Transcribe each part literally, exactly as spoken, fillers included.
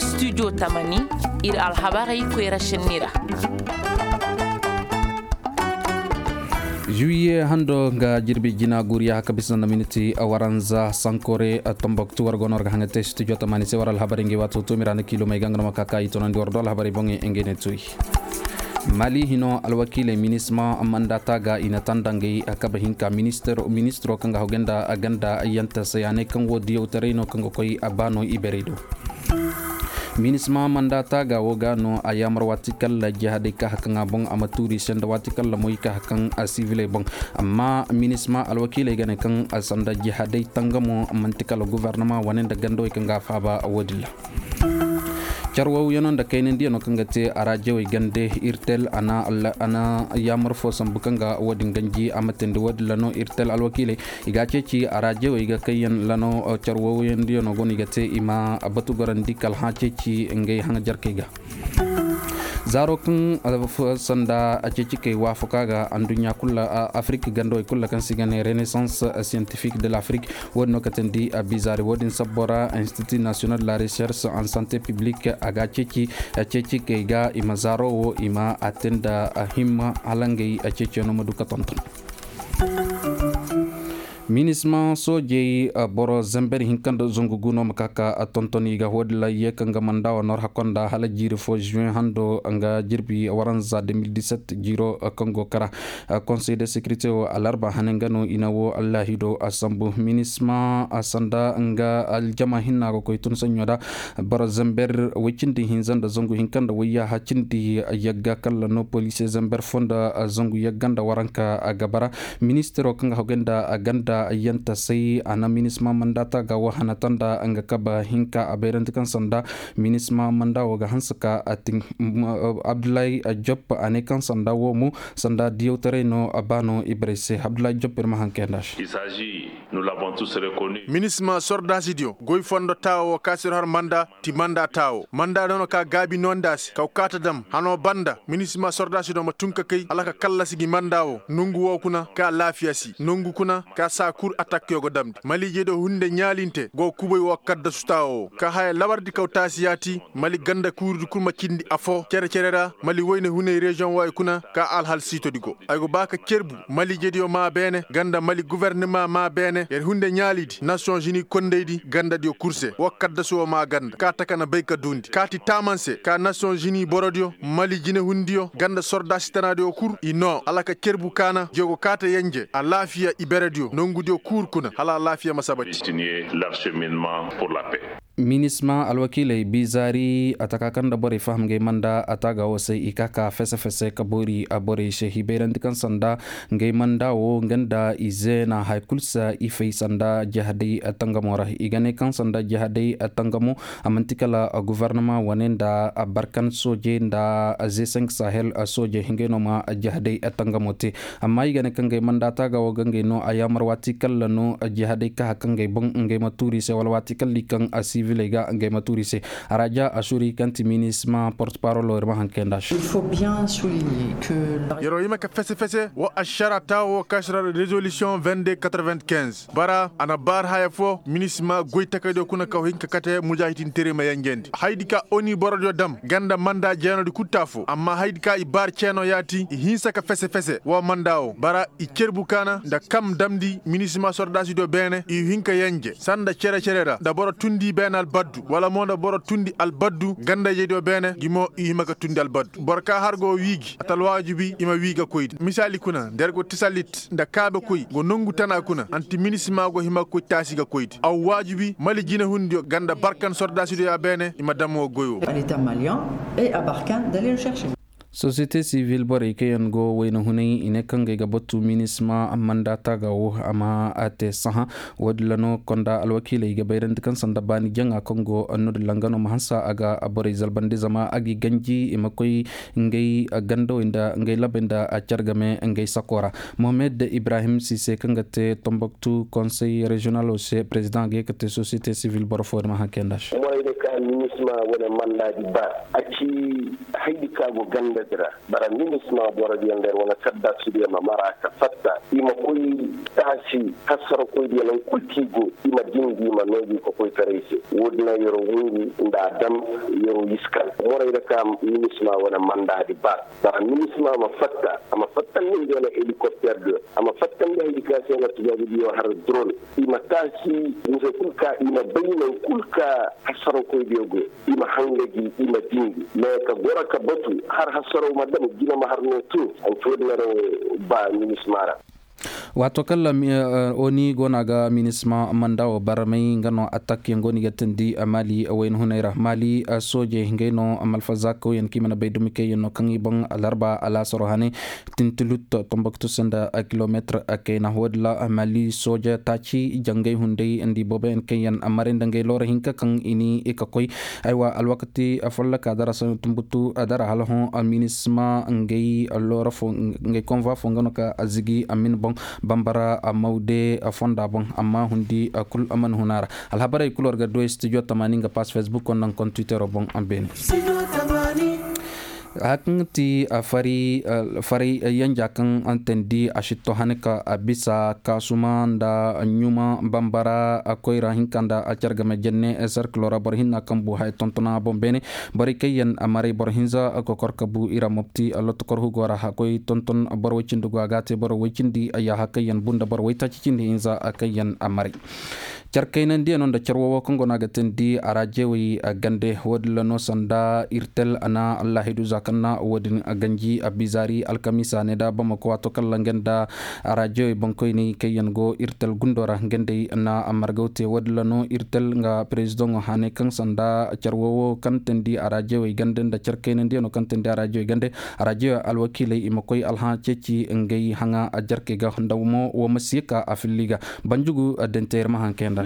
Studio tamani, ir alhabarey koyra šenni ra. Juwiye hando nga jirbi jina guriya haka bisa nda miniti waranza sankore, tomboktu war go no war ga haŋa te studio tamani se war alhabarey ngi wato tumira nda kilomey ga nga no ma kaka i tonandi war do alhabarey boŋey ngey ne tuyi. Mali hino alwakiiley minisma manda taaga i na tanda ngey kaba hinka ministiro kaŋ ga hawgay nda ganda yanta se a ne kaŋ wo diyawtaray no kaŋ ga koy a ba no iberey do. Minisma manda taaga wo ga no a yaamar waati kalla jihadey ka hakaŋ a boŋ a ma tuuri se nda waati kalla moy ka hakaŋ a siviley boŋ. Amma minisma alwakiiley ga ne kaŋ sanda jihadey tangamo manti kala gofornama wane nda gandawey kaŋ ga a faaba wo-din ra. Carwawyaŋo nda kaynandiyano kaŋ ga te araajewey gande irtel a na yaamar fo sambu kaŋ ga wo-din ganji a ma teendi wo-din ra no irtel alwakiiley i ga a ceeci araajewey ga kayyaŋ ra no. Carwawyandiyano go no i ga te i ma batu gorandi kala hã ceeci ngey haŋajarkey ga. Zaaro kaŋ sanda a ceeci kay waafaka ga anduɲɲa kulu ra afirik gandawey kulu ra kaŋ se i ga ne renaissance scientifique de l'afirik. Wo-din no ka teendi a bizaari wo-din sabbo ra institut national de la recherche en santé publique a ga a ceeci kay ga i ma zaaro wo i ma a te nda himma hala ngey ceeciyaŋo ma du ka tonton. Minisma soojey boro zember hinka nda zangu gu no ma ka ka tonton i ga wo-din ra ye kaŋ ga manda wa nor hakko nda hala jiiri fo juin hando nga jirbi waranza deux mille dix-sept jiiro kaŋ go kara. Konsey de sekirite wo alarba hane nga no i na wo allaahido a sambu minisma a sanda nga aljama hinna ga koy tun saɲɲo da. Boro zember woy cindi hinza nda zangu hinka nda woyyaha cindi yagga kalla no poliise zember fo nda zangu yagga nda waranka a ga bara. Ministiro kaŋ ga hawgay nda a ganda yanta say a na minisma mandata ga wahana tanda nga kaba hinka a bayrandi kaŋ sanda minisma manda wo ga hanse ka a tin. Abdullahi job a ne kaŋ sanda wo mo sanda diyawtaray no a ba no ibrey se abdullahi job ir ma hankay nda se. Minisma sordaasidiyo goy fondo taawo wo kaŋ a si ir har manda ti manda taawo manda no no ka gaabi no nda se kaw kaata dam hano banda minisma sordaasidiyo ma tun ka kay hala ka kallasi gi manda wo nongu wo kuna ka laafiya si nongu kuna ka saa kul atakkiyo go damndi maliijediyo hunde ɲaalinte go kubay wo kaddasu taawo wo ka haya labardi kaw taasi yaati mali ganda kuuridi kul ma cindi afo cere-cere ra mali wayne hunay reziyoŋ wo ay kuna ka alhal siitodi go ay go ba ka cerbu maliijediyo maa beene ganda mali gufornima maa beene yer hunde ɲaalidi nasiyoŋ zini kondaydi gandadiyo kul se wo kaddasu wo maa ganda ka taka na bay ka duundi kaati taaman se ka nasiyoŋ zini borodiyo mali jinehundiyo ganda sordaasi tanaadiyo kul i noo hala ka cerbu kaana jiyo go kaata yenje alaafiya iberediyo nongudiyo kul kuna hala alaafiya ma sabati. Minisma alwakiiley bizaari a taka kaŋ nda borey faham ngey manda a taaga wo se i ka ka fese-fese ka boori borey se i bayrandi kaŋ sanda ngey manda wo nga nda i zeena haya kul se i fay sanda jihadey tangamo ra i ga ne kaŋ sanda jihadey tangamo a man'ti kala gufornama wane nda barkan soojey nda ze cinq sahel soojey ngey no ma jihadey tangamo te. Amma i ga ne kaŋ ngey manda taaga wo ga ngey no a yaamar waati kalla no jihadey ka haka ngey boŋ ngey ma tuuri se wala waati kalla i kaŋ siviley ga ngey ma tuuri se. Araja asuri kaŋ ti minisma porte parolo ir ma hankay nda se. Yeroo hima ka fese-fese wo ašara taawo wo kaŋ si ra rezolisiyoŋ vingt-deux quatre-vingt-quinze bara a na baari haya fo minisma goy takaydiyo kuna kaw hin ka kate mujaahidiinteray ma yenjendi hayadi ka oni borodiyo dam ganda manda jeenodi kul te afo amma hayadi ka i baari ceenoo yaati i hinsa ka fese-fese wo manda wo bara i cerbu kaana nda kam damndi minisma sordaasidiyo beene i hin ka yenje sanda cere-cere ra nda boro tundi beene albaddu wala mo nda boro tundi albaddu gandayjediyo beene gi mo i hima ka tundi albaddu boro ka har go wii gi ata alwaajibi i ma wii ga koydi misaali kuna nda yer go tisalit nda kaabekoy go nongu tana kuna anti minisma go hima ga koy taasi ga koydi aw waajibi mali jinehundiyo ganda barkan sordaasidiyo ya beene i ma dam wo goy wo. Sosiyete sivil borey kaŋ yaŋ go wayna hunay i ne kaŋ ga ay ga batu minisma manda taaga wo a ma a te sahã. Wo- din ra no konda alwakiiley ga bayrandi kaŋ sanda baani jaŋa kaŋ go no- din ra nga no ma hanse a ga borey zalbandi zama a g'i ganji i ma koy ngey gandawey nda ngey labey nda care game ngey sako ra. Mohamed ibrahim sise kaŋ ga te tomboktu konsey reziyonalo se perezidaŋ ga ye ka te sosiyete sivil boro fo din ma haŋ kay nda se. Minisma wane mandaadi ba a ci haydi ka go gandadi ra. Bara minisma borodiyo nda yer wane kaddasudiyo ma mara ka fatta i ma koy taasi hasarakoydiyo naŋ kul kaŋ i go i ma dindi i ma noogi ka koy taray se. Woodin na yer wo hungu nda a dam yer wo iskan morey ra ka minisma wane mandaadi ba. Bara minisma ma fatta a ma fattandi nda wane helikopterdiyo a ma fattandi haydi ka se wane tubaabudiyo har dron. I ma taasi mise kul ka i ma bay naŋ kul ka hasarakoydiyo go i ma hanga gi i ma dindi mais ka goro ka batu har hasaraw ma dam jina ma har no tun. Hanci woodin na ra wo ba minisma ra. Waato kala oni go no a ga minisma manda wo barmay nga no atak yaŋ go no i ga tindi mali wayna hunay ra mali soojey ngey no malfazakawyaŋ kaŋ i mana bay dumi kayyaŋ no kaŋ i boŋ alarba alaasaro hane tintilut tomboktu sanda kilometir kayna woodin ra mali sooja taaci jangay hunday nda i booboyaŋ kaŋ yaŋ maray nda ngey loora hinka kaŋ i ni i ka koy. Aywa alwakati folloka dara sanda tumbutu dara hala hõ minisma ngey loora fo ngey konva fo nga no ka zigi amin boŋ bambara mawde fonda boŋ amma hundi kul mana huna ra. Alhabarey kul war ga du studio tamaani nga pass facebook wo nda nga kontwitero boŋ beene. Haya kaŋ ti faray yanja kaŋ teendi a sitto hane ka bisa kaasuma nda ɲuma bambara koyra hinka nda care game jenne serkilo ra boro hinna kaŋ bu haya tontona boŋ beene. Borey kaŋ yaŋ maray boro hinza kokor ka bu i ra mopti lotokor hugo ra a koy tonton boro woy cindi go a ga a te boro woy cindi yaaha kaŋ yaŋ bu nda boro woy taaci cindi hinza kaŋ yaŋ maray. Care kaynandiyaŋo nda care woowo kaŋ go no a ga teendi araajewey gande woodin ra no sanda irtel a na allahidu za kaŋ na woodin ganji a bizaari alkamiisa ne nda bamako waato kaŋ ra nga nda araajewey boŋkoyney kaŋ yaŋ go irtel gundo ra nga nd'ey na margaw te woodin ra no irtel nga perezidaŋo hane kaŋ sanda care woowo kaŋ teendi araajewey gande nda care kaynandiyaŋo kaŋ teendi araajewey gande araajewey alwakiiley i ma koy alhã ceeci ngey haŋa jarkey ga nda mo wo ma si ye ka a filli ga. Banjugu dente yer ma haŋ kayanda.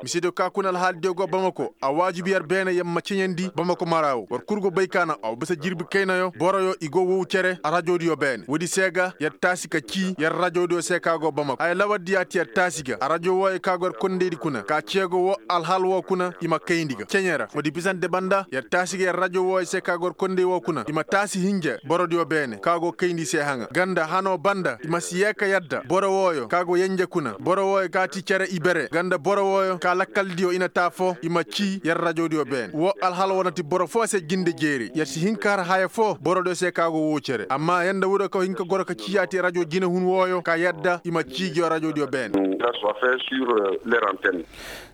Misidiyo ka kuna alhaalidiyo go bamako a waajibi yer beene yer ma ceɲandi bamako mara wo war kul go bay ka naŋ a wa bisa jirbi kaynayo boroyo i go wow cere arajoodiyo beene woodi se ga yer taasi ka cii yer rajoodiyo se ka go bamako haya lawardi ya ti yer taasi ga arajo wooyo ka go yer kondaydi kuna ka ceego wo alhaal wo kuna i ma kayndi ga ceɲe ra woodi bisante banda yer taasi ga yer rajo wooyo se ka go yer konday wo kuna i ma taasi hinja borodiyo beene ka go kayndi se haŋa ganda hano banda i ma si yee ka yadda boro wooyo ka go yenje kuna boro wooyo ka ti cere ibere ganda boro wooyo ka lakkaldiyo i na ta foo i ma cii yer rajodiyo beene woo alhala woo na ti boro foo se jinde jeeri yer si hin ka har haya foo borodiyo se ka go woo cere amma yee nda wuro ka hin ka goro ka cii yaati rajo jinehun wooyo ka yadda i ma cii ngiyo rajodiyo beene.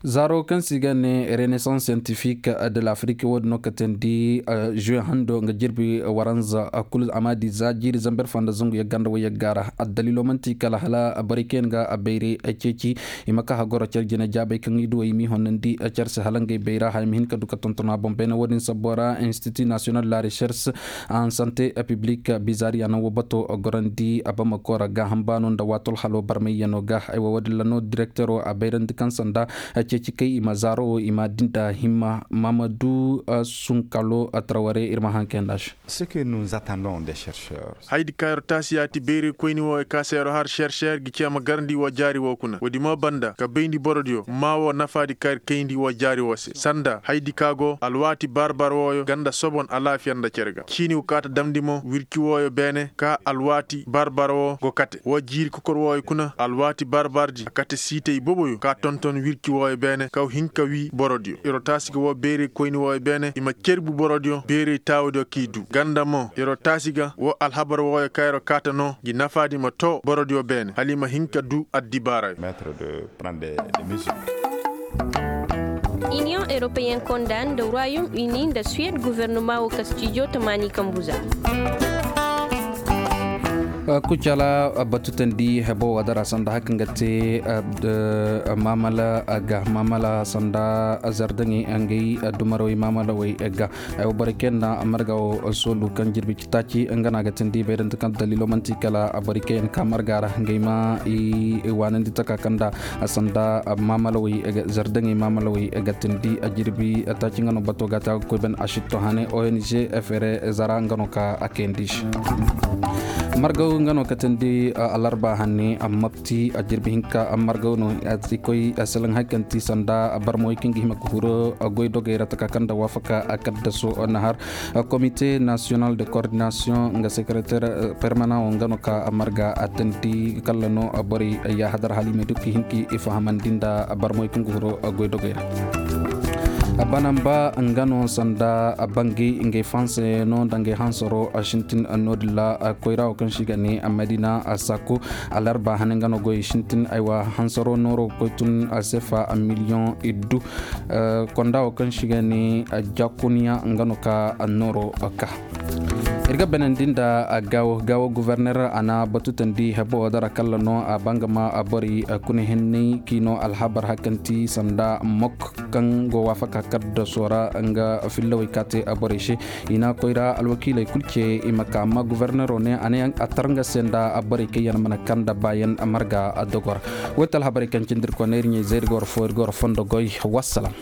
Zaaro kaŋ se i ga ne renaissance scientifique de l'afrique woo din no ka teendi juwe hando nga jirbi waranza kulu a ma di za jiiri zamber foo nda zangu yagga nda wayyagga ra addaliilo man'ti kala hala borey kaŋ yaŋ ga bayray ceeci i ma ka hagoro care jine jaabey kaŋ i duwey i m'i honandi care se hala ngey bayra haya ma hin ka du ka tonton a boŋ beene woo din sabbo ra institut national de la recherche en santé publique bizari a naŋ woo bato gorandi bamako ra gaaham baano nda waatol halo barmayyanoo ga aywa woo din ra no direktero a bayrandi kaŋ sanda ceeci kay i ma zaaro woo i ma di nda himma maamadu sunkalo traware ir ma haŋ kay nd'a se. Hayadi ka yer taasi yaati bayraykoyni wooyo ka se yer har serser gi cee ma garandi woo jaari woo kuna woodi mo banda ka bayndi borodiyo maa woo nafaadi ka yer kayndi woo jaari woo se sanda hayadi ka go alwaati bar-bar wooyo ganda sobon alaafiya nda cere ga ciini woo kaata damndi mo wirci wooyo beene ka alwaati bar-bar woo go kate woo jiiri kokor wooyo kuna alwaati bar-bardi a kate siitay boboyo ka tonton wirci wooyo beene kaw hin ka wii borodiyo yer'o taasi ga woo beerey koyni wooyo beene i ma cerbu borodiyo beerey taawudiyo k'i duu ganda mo yer'o taasi ga woo alhabar wooyo ka yer'o kaata no ngi nafaadi ma too borodiyo beene hala i ma hin ka duu addibaarayo. Union europeyen konda nda royaume uni nda suwed gofornoma woo ka stijo tamaani kambu za. Kucala batu tandi hebo wadara sanda haka nga te maamala ga maamala sanda zardaŋey ngey dumarawey maamalawey ga. Ay wo borey kaŋ yaŋ na marga wo soolu kaŋ jirbi ci taaci nga no a ga tindi bayrante kaŋ daliilo manti kala borey kaŋ yaŋ ka marga ra ngey ma i waanandi taka kaŋ nda sanda maamalawey zardaŋey maamalawey ga tindi jirbi taaci nga no bato ga te a ga koy ban a sitto hane ong fere zara nga no ka a kayandi se. Margaw nga no katandi alarba hanne, mabti a jirbi hinka margaw no. I koy selaŋ hay kaŋ ti sanda barmawey kaŋ ga hima ga huru goy dogey ra taka kaŋ da waafaka kaddaso na har. Komite nasiyonal de koordinasiyoŋ nga sekereter permanaŋo nga no ka marga a tandi kalla no borey ya hadar halimey duk hinki i fahamandi nda barmawey kaŋ ga huru goy dogey ra. Banamba nga no sanda bangay ngey fahanse no nda ngey hansaro sintin no din ra. Koyra wo kaŋ se i ga ne madina sako alarba hane nga no goy sintin aywa hansaro nooro ga koy tun sefa miliyoŋ iddu. Konda wo kaŋ se i ga ne jakuniya nga no ka nooro ka. Ir ga banandi nda gaawo gaawo guverner a na batu tandi hebo wo dara kalla no a bangama borey kuna henney k'i no alhabar hakanti sanda mok kaŋ go waafaka kaddaso ra nga fillawey ka te borey se. I na koy ra alwakiiley kul ce i ma ka amma guvernero ne a ne a tar nga se nda borey kaŋ yaŋ mana kaŋ nda baayaŋ marga dogor. Woy te alhabarey kaŋ cindi ir kone ir ɲey zay ir ga war fo ir ga war fondo goy. Wassalam.